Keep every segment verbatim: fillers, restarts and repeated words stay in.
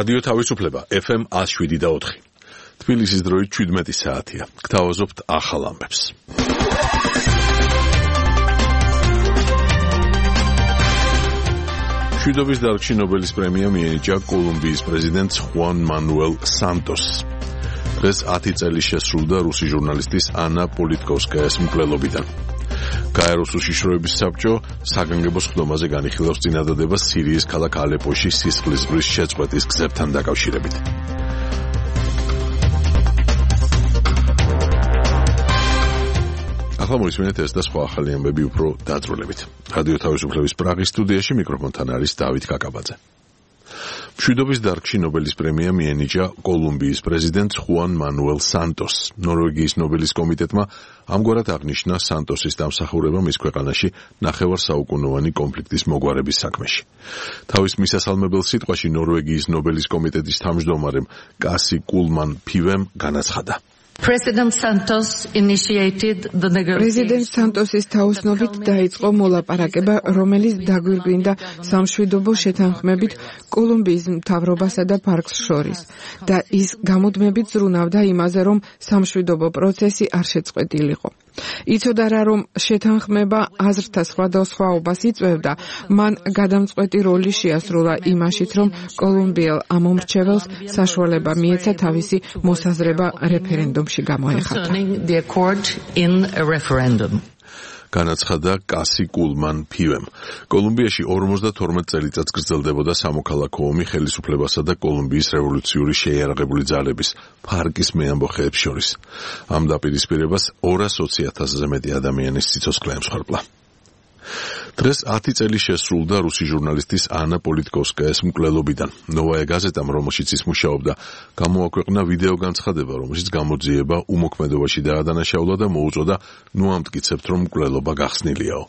რადიო თავისუფლება ეფ ემ one oh seven და four. თბილისის დროით seventeen საათია. გთავაზობთ ახალ ამბებს. მშვიდობის დარგში ნობელის პრემია მიენიჭა კოლუმბიის პრეზიდენტს ხუან მანუელ სანტოსს. დღეს ათი წელი შესრულდა რუსი ჟურნალისტის ანა პოლიტკოვსკაიას მკვლელობიდან. გაეროს უშიშროების საბჭო საგანგებო სხდომაზე განიხილავს წინადადებას სირიის ქალაქ ალეპოში სისხლის ზღვრის შეწყვეტის გზებთან დაკავშირებით. ახლა მოვისმენთ ეს და სხვა ახალი ამბები უფრო დაწვრილებით. რადიო თავისუფლების პრაღის სტუდიაში მიკროფონთან არის დავით კაკაბაძე. მშვიდობის დარგში ნობელის პრემია მიენიჭა კოლუმბიის პრეზიდენტს ხუან მანუელ სანტოსს. ნორვეგიის ნობელის კომიტეტმა ამგვარად აღნიშნა სანტოსის დამსახურება მის ქვეყანაში ნახევარსაუკუნოვანი კონფლიქტის მოგვარების საქმეში. თავის მისასალმებელ სიტყვაში ნორვეგიის ნობელის კომიტეტის თავმჯდომარემ კასი კულმან ფივემ განაცხადა. President Santos initiated the President Santos's თაოსნობით დაიწყო მოლაპარაკება, რომელიც დაგვირგვინდა სამშვიდობო შეთანხმებით კოლუმბიის მთავრობასა და ფარგლს შორის და ის გამუდმებით ზრუნავდა იმაზე, რომ სამშვიდობო პროცესი არ შეწყვეტილიყო. იცოდა რა, რომ შეთანხმება აზრთა სხვადასხვაობას იწვევდა, მან გადამწყვეტი როლი შეასრულა იმაშიც, რომ კოლუმბიელ ამომრჩეველს საშუალება მიეცა თავისი მოსაზრება რეფერენდუმში გამოეხატა. განაცხადა კასი კულმან ფივემ. კოლუმბიაში ორმოცდათორმეტ წელიწადს გრძელდებოდა სამოქალაქო ომი ხელისუფლებასა და კოლუმბიის რევოლუციური შეიარაღებული ძალების ფარკის მეამბოხეებს შორის. ამ დაპირისპირებას ორას ოცი ათასზე მეტი ადამიანის სიცოცხლე ემსხვერპლა. დღეს ათი წელი შესრულდა რუსი ჟურნალისტის ანა პოლიტკოვსკაიას მკვლელობიდან. ნოვაია გაზეტამ, რომელშიც ის მუშაობდა, გამოაქვეყნა ვიდეო განცხადება, რომელშიც გამოძიება უმოქმედობაში დაადანაშაულა და მოუწოდა ნუ ამტკიცებთ, რომ მკვლელობა გახსნილიაო.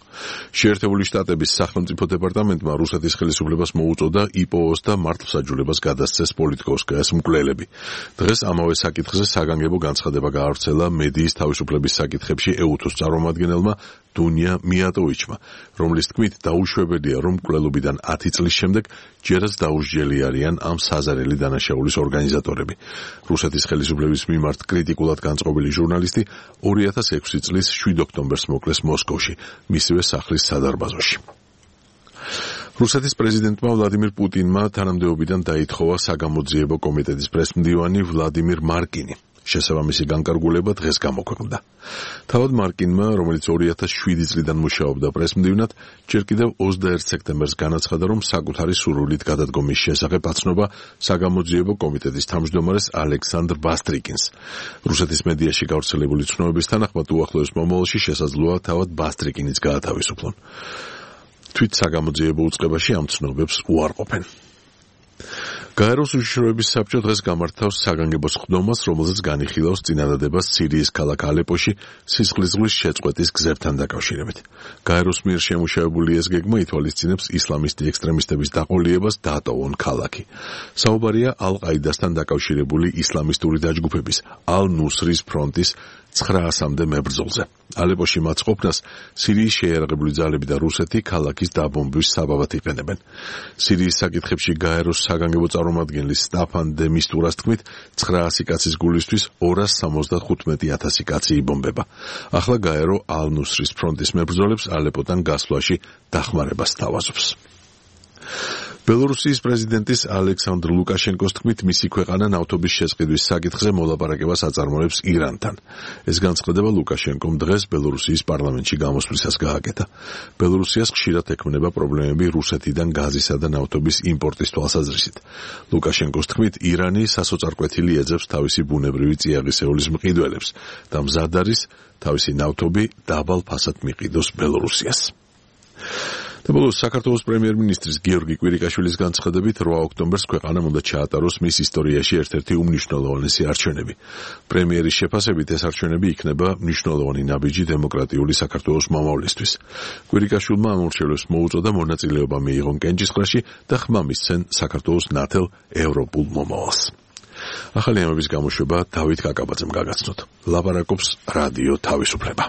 შეერთებული შტატების სახელმწიფო დეპარტამენტმა რუსეთის ხელისუფლებას მოუწოდა ი პო ოს და მართლმსაჯულებას გადასცეს პოლიტკოვსკაიას მკვლელები. დღეს ამავე საკითხზე საგანგებო განცხადება გაავრცელა მედიის თავისუფლების საკითხებში ეუთოს წარმომადგენელმა დუნია მიატოვიჩმა, რომლის თქმით დაუშვებელია, რომ მკვლელობიდან ათი წლის შემდეგ ჯერაც დაუსჯელი არიან ამ საზარელი დანაშაულის ორგანიზატორები. რუსეთის ხელისუფლების მიმართ კრიტიკულად განწყობილი ჟურნალისტი ორი ათას ექვსი წლის შვიდ ოქტომბერს მოკლეს მოსკოვში, მისივე სახლის სადარბაზოში. რუსეთის პრეზიდენტმა ვლადიმირ პუტინმა თანამდებობიდან დაითხოვა საგამოძიებო კომიტეტის პრესმდივანი ვლადიმირ მარკინი. შესაბამისი განკარგულება დღეს გამოქვეყნდა. თავად მარკინმა, რომელიც ორი ათას შვიდი წლიდან მუშაობდა პრესმდივნად, ჯერ კიდევ ოცდაერთ სექტემბერს განაცხადა, რომ საკუთარი სურვილით გადადგომის შესახებ აცნობა საგამოძიებო კომიტეტის თავმჯდომარეს ალექსანდრ ბასტრიკინს. რუსეთის მედიაში გავრცელებული ცნობების თანახმად უახლოეს მომავალში შესაძლოა თავად ბასტრიკინიც გაათავისუფლონ. თვით საგამოძიებო უწყებაში ამ ცნობებს უარყოფენ. გაეროს უშიშროების საბჭო დღეს გამართავს საგანგებო სხდომას, რომელზეც განიხილავს წინადადებას სირიის ქალაქ ალეპოში სისხლის ზღვის შეწყვეტის გზებთან დაკავშირებით. გაეროს მიერ შემუშავებული ეს გეგმა ითვალისწინებს ისლამისტი ექსტრემისტების დაყოლიებას დაატოვონ ქალაქი. საუბარია ალ-ყაიდასთან დაკავშირებული ისლამისტური დაჯგუფების ალ-ნუსრის ფრონტის ცხრაასამდე მებრძოლზე. ალეპოში მათ ყოფნას სირიის შეიარაღებული ძალები და რუსეთი ქალაქის დაბომბვის საბაბად იყენებენ. სირიის საკითხებში გაეროს საგანგებო წარმომადგენლის სტაფან დე მისტურას თქმით, ცხრაასი კაცის გულისთვის ორას სამოცდახუთმეტი ათასი კაცი იბომბება. ახლა გაერო ალ-ნუსრის ფრონტის მებრძოლებს ალეპოდან გასვლაში დახმარებას სთავაზობს. ბელორუსიის პრეზიდენტის ალექსანდრ ლუკაშენკოს თქმით, მისი ქვეყანა ნავთობის შესყიდვის საკითხზე მოლაპარაკებას აწარმოებს ირანთან. ეს განცხადება ლუკაშენკომ დღეს ბელორუსიის პარლამენტში გამოსვლისას გააკეთა. ბელორუსიას ხშირად ექმნება პრობლემები რუსეთიდან გაზისა და ნავთობის იმპორტის თვალსაზრისით. ლუკაშენკოს თქმით, ირანი სასოწარკვეთილი ეძებს თავისი ბუნებრივი წიაღისეულის მყიდველებს და მზად არის თავისი ნავთობი დაბალ ფასად მიყიდოს ბელორუსიას. და ბოლოს საქართველოს პრემიერ-მინისტრის გიორგი კვირიკაშვილის განცხადებით რვა ოქტომბერს ქვეყანამ უნდა ჩაატაროს მის ისტორიაში ერთ-ერთი უმნიშვნელოვანესი არჩევნები. პრემიერის შეფასებით ეს არჩევნები იქნება მნიშვნელოვანი ნაბიჯი დემოკრატიული საქართველოს მომავლისთვის. კვირიკაშვილმა ამ არჩევნებს მოუწოდა მონაწილეობა მიიღონ კენჭისყრაში და ხმა მისცენ საქართველოს ნათელ ევროპულ მომავალს. ახალი ამბების გამოშვება დავით კაკაბაძემ გაგაცნოთ. ლაპარაკობს რადიო თავისუფლება.